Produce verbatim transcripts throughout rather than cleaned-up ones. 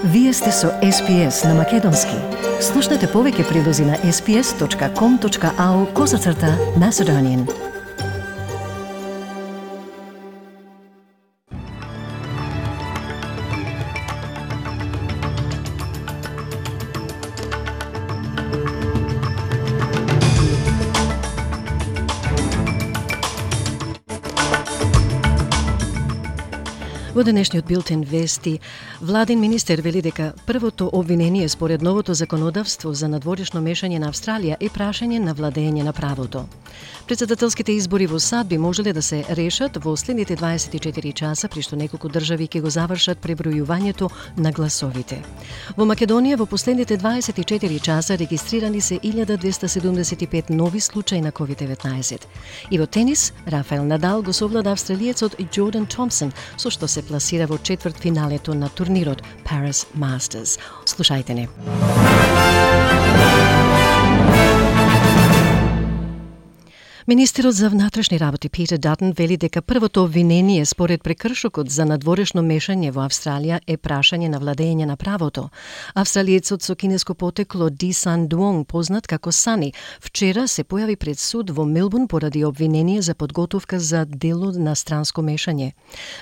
Вие сте со Ес Пи Ес на Македонски. Слушнете повеќе прилози на ес пи ес точка ком точка ау козацрта Macedonian. Во денешниот билтен вести, владин министер вели дека првото обвинение според новото законодавство за надворешно мешање на Австралија е прашање на владење на правото. Председателските избори во САД би можеле да се решат во следните дваесет и четири часа, при што неколку држави ќе го завршат пребројувањето на гласовите. Во Македонија во последните дваесет и четири часа регистрирани се илјада двеста седумдесет и пет нови случаи на ковид деветнаесет. И во тенис, Рафаел Надал го совлада австралиецот Джордан Томпсон, со што се пласира во четвртфиналето на турнирот Paris Masters. Слушајте не. Министерот за внатрешни работи Питер Датон вели дека првото обвинение според прекршокот за надворешно мешање во Австралија е прашање на владење на правото. Австралиецот со кинеско потекло Ди Сан Дуонг, познат како Сани, вчера се појави пред суд во Мелбурн поради обвинение за подготовка за дело на странско мешање.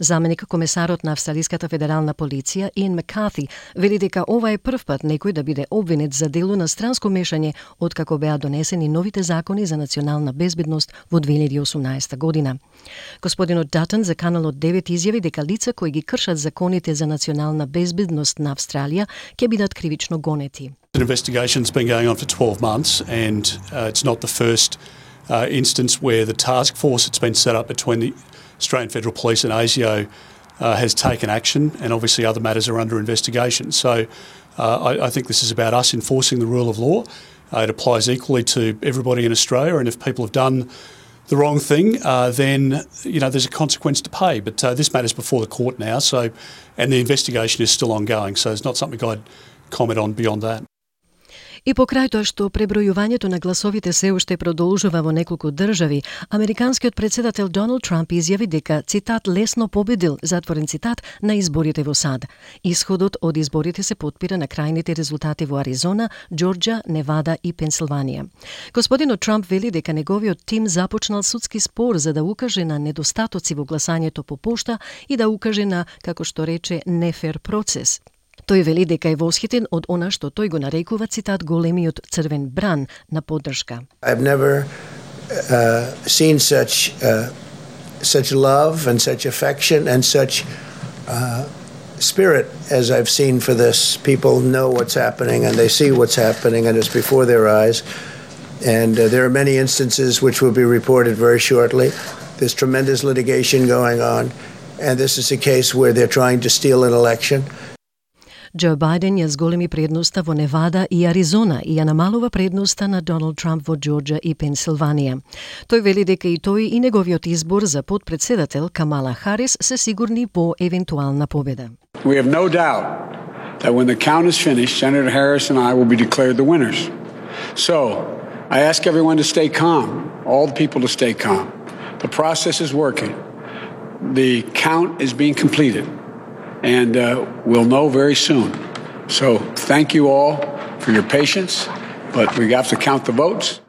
Заменик комесарот на Австралиската федерална полиција Иан Маккарти вели дека ова е прв пат некој да биде обвинет за дело на странско мешање откако беа донесени новите закони за национална безбедност во две илјади и осумнаесета година. Господинот Датон за Каналот девет изјави дека лица кои ги кршат законите за национална безбедност на Австралија ќе бидат кривично гонети. The investigation's been going on for twelve months and uh, it's not the first uh, instance where the task force that's been set up between the Australian Federal Police and ASIO uh, has taken action, and obviously other matters are under investigation. So uh, I, I think this is about us enforcing the rule of law. Uh, it applies equally to everybody in Australia, and if people have done the wrong thing, uh, then you know there's a consequence to pay. But uh, this matter's before the court now, so and the investigation is still ongoing, so it's not something I'd comment on beyond that. И покрај тоа што пребројувањето на гласовите се уште продолжува во неколку држави, американскиот председател Доналд Трамп изјави дека, цитат, лесно победил, затворен цитат, на изборите во САД. Исходот од изборите се потпира на крајните резултати во Аризона, Џорџија, Невада и Пенсилванија. Господинот Трамп вели дека неговиот тим започнал судски спор за да укаже на недостатоци во гласањето по пошта и да укаже на, како што рече, нефер процес. Тој вели дека е восхитен од она што тој го нарекува, цитат, големиот црвен бран на поддршка. I've never uh, seen such uh, such love and such affection and such uh, spirit as I've seen for this. People know what's happening and they see what's happening and it's before their eyes. And uh, there are many instances which will be reported very shortly. There's tremendous litigation going on, and this is a case where they're trying to steal an election. Џо Бајден ја зголеми предноста во Невада и Аризона и ја намалува предноста на Доналд Трамп во Џорџија и Пенсилванија. Тој вели дека и тој и неговиот избор за подпредседател Камала Харис се сигурни во евентуална победа. We have no doubt that when the count is finished, Senator Harris and I will be declared the winners. So, I ask everyone to stay calm, all the people to stay calm. The process is working. The count is being completed. And uh, we'll know very soon. So thank you all for your patience, but we have to count the votes.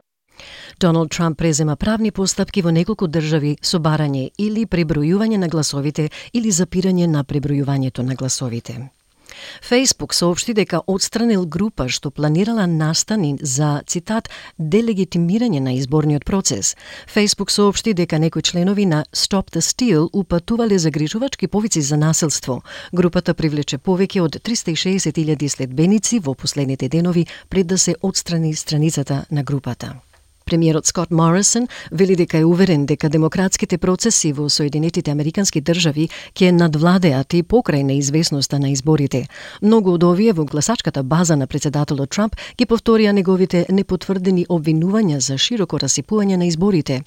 Доналд Трамп презема правни постапки во неколку држави со барање или пребројување на гласовите или запирање на пребројувањето на гласовите. Facebook соопшти дека отстранил група што планирала настани за, цитат, делегитимирање на изборниот процес. Facebook соопшти дека некои членови на Stop the Steal упатувале загрижувачки повици за насилство. Групата привлече повеќе од триста и шеесет илјади следбеници во последните денови пред да се отстрани страницата на групата. Премиерот Скот Морисон вели дека е уверен дека демократските процеси во Соединетите Американски држави ќе надвладеат и покрај неизвестноста на изборите. Многу од овие во гласачката база на председателот Трамп ги повторија неговите непотврдени обвинувања за широко расипување на изборите.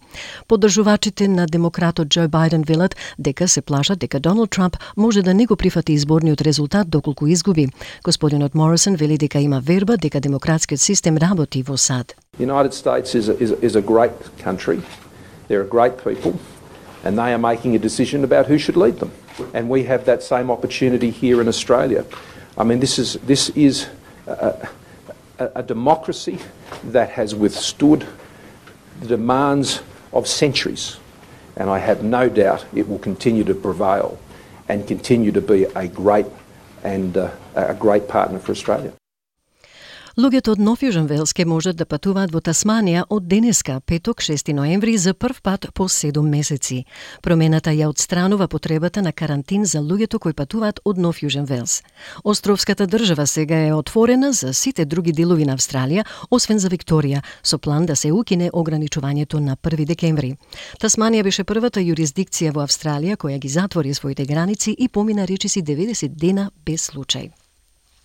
Поддржувачите на демократот Џо Бајден велат дека се плашат дека Доналд Трамп може да не го прифати изборниот резултат доколку изгуби. Господинот Морисон вели дека има верба дека демократскиот систем работи во САД. The United States is a, is, a, is a great country. There are great people, and they are making a decision about who should lead them. And we have that same opportunity here in Australia. I mean, this is this is a, a, a democracy that has withstood the demands of centuries, and I have no doubt it will continue to prevail and continue to be a great and uh, a great partner for Australia. Луѓето од Нов Јужен Велс ке можат да патуваат во Тасманија од денеска, петок, шести ноември, за прв пат по седум месеци. Промената ја отстранува потребата на карантин за луѓето кои патуваат од Нов Јужен Велс. Островската држава сега е отворена за сите други делови на Австралија, освен за Викторија, со план да се укине ограничувањето на први декември. Тасманија беше првата јурисдикција во Австралија која ги затвори своите граници и помина речиси деветдесет дена без случај.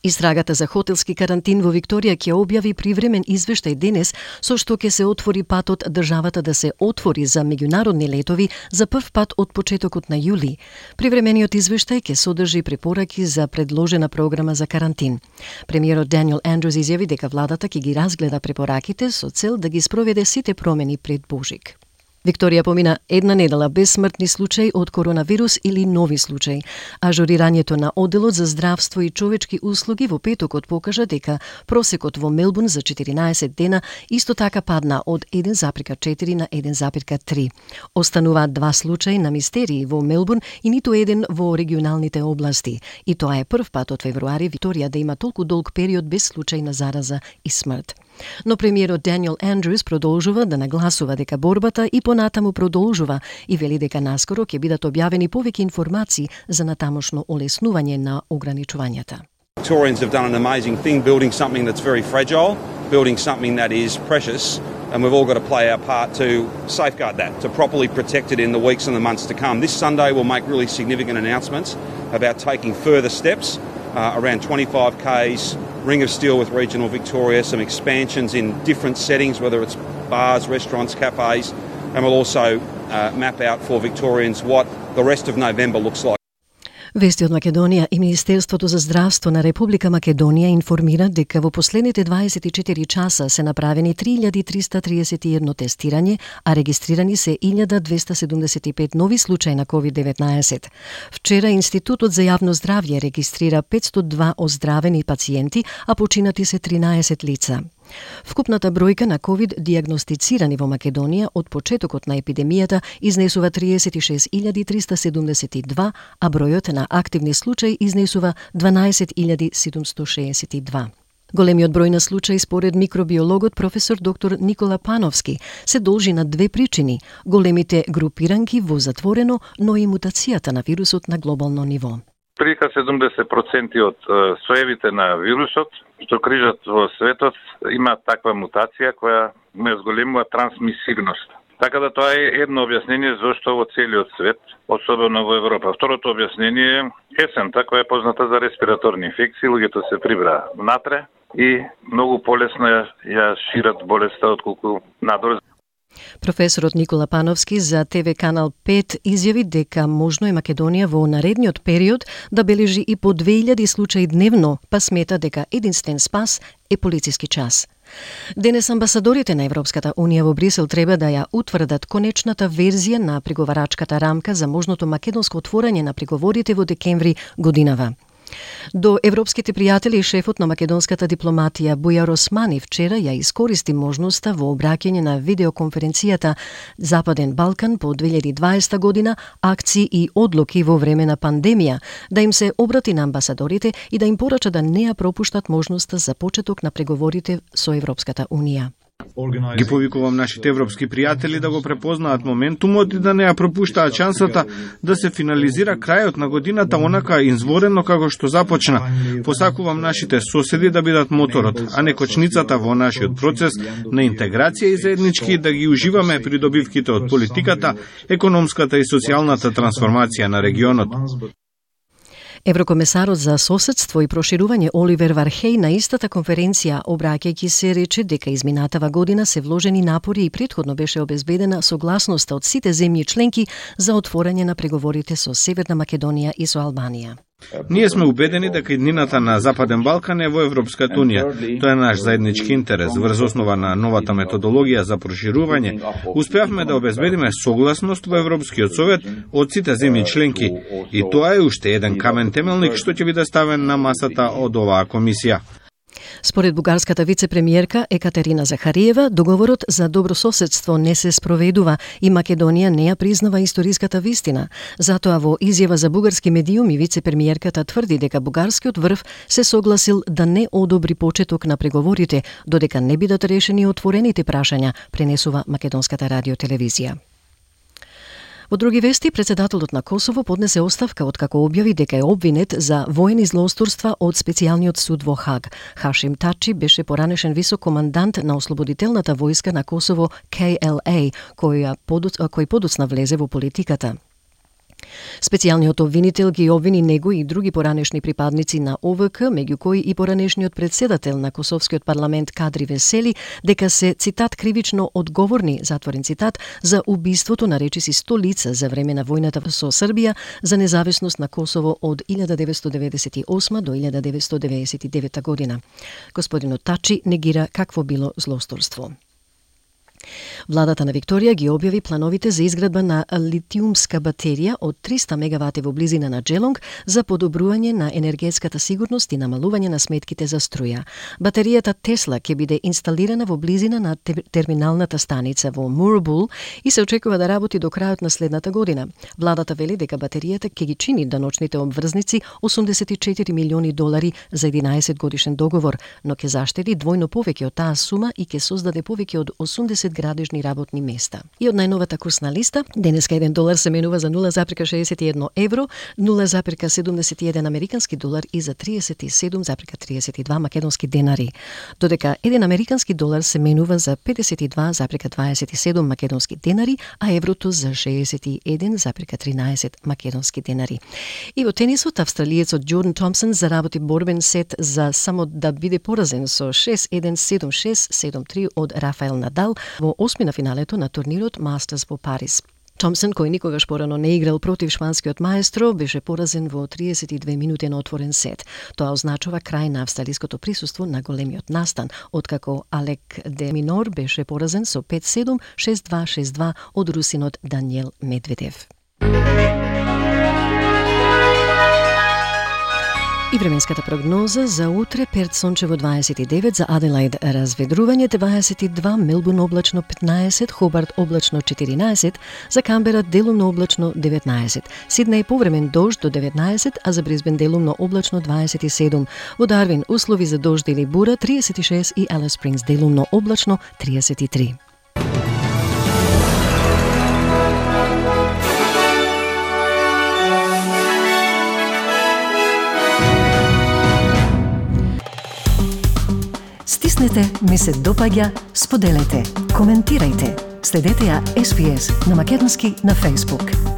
Истрагата за хотелски карантин во Викторија ќе објави привремен извештај денес, со што ќе се отвори патот државата да се отвори за меѓународни летови за прв пат од почетокот на јули. Привремениот извештај ќе содржи препораки за предложена програма за карантин. Премиерот Даниел Андрус изјави дека владата ќе ги разгледа препораките со цел да ги спроведе сите промени пред Божик. Викторија помина една недела без смртни случаи од коронавирус или нови случаи. Ажурирањето на одделот за здравство и човечки услуги во петокот покажа дека просекот во Мелбурн за четиринаесет дена исто така падна од еден запирка четири на еден запирка три. Остануваат два случаи на мистерии во Мелбурн и ниту еден во регионалните области. И тоа е прв пат од февруари Викторија да има толку долг период без случај на зараза и смрт. Но премиерот Даниел Андрус продолжува да нагласува дека борбата и понатаму продолжува и вели дека наскоро ќе бидат објавени повеќе информации за натамошно олеснување на ограничувањата. Victorians have done an amazing thing, building something that's very fragile, building something that is precious, and we've all got to play our part to safeguard that, to properly protect it in the weeks and the months to come. This Sunday we'll make really significant announcements about taking further steps uh, around twenty-five kays, Ring of Steel with regional Victoria, some expansions in different settings, whether it's bars, restaurants, cafes, and we'll also uh, map out for Victorians what the rest of November looks like. Вести од Македонија и Министерството за здравство на Република Македонија информира дека во последните дваесет и четири часа се направени три илјади триста триесет и едно тестирање, а регистрирани се илјада двеста седумдесет и пет нови случаи на ковид деветнаесет. Вчера Институтот за јавно здравје регистрира петстотини и два оздравени пациенти, а починати се тринаесет лица. Вкупната бројка на ковид диагностицирани во Македонија од почетокот на епидемијата изнесува триесет и шест илјади триста седумдесет и два, а бројот на активни случаи изнесува дванаесет илјади седумстотини шеесет и два. Големиот број на случаи според микробиологот професор доктор Никола Пановски се должи на две причини: големите групиранки во затворено, но и мутацијата на вирусот на глобално ниво. Прика седумдесет проценти од соевите на вирусот што крижат во светот има таква мутација која ме зголемува трансмисивност. Така да тоа е едно објаснение зашто во целиот свет, особено во Европа. Второто објаснение е есента, која е позната за респираторни инфекции, луѓето се прибра внатре и многу полесно ја шират болеста отколку надвор. Професорот Никола Пановски за Те Ве Канал пет изјави дека можно е Македонија во наредниот период да бележи и по две илјади случаи дневно, па смета дека единствен спас е полициски час. Денес амбасадорите на Европската Унија во Брисел треба да ја утврдат конечната верзија на преговарачката рамка за можното македонско отворање на преговорите во декември годинава. До европските пријатели шефот на македонската дипломатија Бујар Османи вчера ја искористи можноста во обраќање на видеоконференцијата Западен Балкан по две илјади и дваесета година, акции и одлуки во време на пандемија, да им се обрати на амбасадорите и да им порача да не ја пропуштат можноста за почеток на преговорите со Европската Унија. Ги повикувам нашите европски пријатели да го препознаат моментумот и да не ја пропуштаат шансата да се финализира крајот на годината онака изворено како што започна. Посакувам нашите соседи да бидат моторот, а не кочницата во нашиот процес на интеграција и заеднички да ги уживаме придобивките од политиката, економската и социјалната трансформација на регионот. Еврокомесарот за соседство и проширување Оливер Вархеј на истата конференција, обраќајќи се, рече дека изминатава година се вложени напори и претходно беше обезбедена согласноста од сите земји членки за отворање на преговорите со Северна Македонија и со Албанија. Ние сме убедени дека иднината на Западен Балкан е во Европската Унија. Тоа е наш заеднички интерес. Врз основа на новата методологија за проширување, успеавме да обезбедиме согласност во Европскиот совет од сите земји членки. И тоа е уште еден камен темелник што ќе биде ставен на масата од оваа комисија. Според бугарската вице-премиерка Екатерина Захариева, договорот за добрососедство не се спроведува и Македонија не ја признава историската вистина. Затоа во изјава за бугарски медиуми вице-премиерката тврди дека бугарскиот врв се согласил да не одобри почеток на преговорите додека не бидат решени отворените прашања, пренесува македонската радиотелевизија. Во други вести, председателот на Косово поднесе оставка откако објави дека е обвинет за воени злоусторства од специјалниот суд во Хаг. Хашим Тачи беше поранешен висок командант на ослободителната војска на Косово К Л А, кој, кој подоцна влезе во политиката. Специјалниот обвинител ги обвини него и други поранешни припадници на О В К, меѓу кои и поранешниот председател на Косовскиот парламент Кадри Весели, дека се, цитат, кривично одговорни, затворен цитат, за убиството на речиси сто лица за време на војната со Србија за независност на Косово од илјада деветстотини деветдесет и осма до илјада деветстотини деветдесет и девета година. Господинот Тачи негира какво било злосторство. Владата на Викторија ги објави плановите за изградба на литиумска батерија од триста мегавати во близина на Джелонг за подобрување на енергетската сигурност и намалување на сметките за струја. Батеријата Тесла ќе биде инсталирана во близина на терминалната станица во Мурбул и се очекува да работи до крајот на следната година. Владата вели дека батеријата ќе ги чини даночните обврзници осумдесет и четири милиони долари за единаесет годишен договор, но ќе заштеди двојно повеќе од таа сума и ќе создаде повеќе од осумдесет градежни работни места. И од најновата курсна листа, денеска еден долар се менува за нула зарез шеесет и едно евро, нула зарез седумдесет и еден американски долар и за триесет и седум зарез триесет и два македонски денари. Додека еден американски долар се менува за педесет и два зарез дваесет и седум македонски денари, а еврото за шеесет и еден зарез тринаесет македонски денари. И во тенисот, австралиецот Джордан Томпсон заработи борбен сет за само да биде поразен со шест еден, седум шест, седум три од Рафаел Надал во осми на финалето на турнирот Мастерс во Париз. Томпсон, кој никогаш порано не играл против шпанскиот маестро, беше поразен во триесет и две минути на отворен сет. Тоа означува крај на австралиското присуство на големиот настан, откако Алек де Минор беше поразен со пет седум, шест два, шест два од русинот Даниел Медведев. И временската прогноза за утре: Перт сончево дваесет и девет, за Аделаид разведрување дваесет и два, Мелбурн облачно петнаесет, Хобарт облачно четиринаесет, за Камбера делумно облачно деветнаесет, Сиднеј повремен дожд до деветнаесет, а за Брисбен делумно облачно дваесет и седум, во Дарвин услови за дожд или бура триесет и шест и Алис Спрингс делумно облачно триесет и три. Стиснете, ми се допаѓа, споделете, коментирајте. Следете ја Ес Би Ес на македонски на Facebook.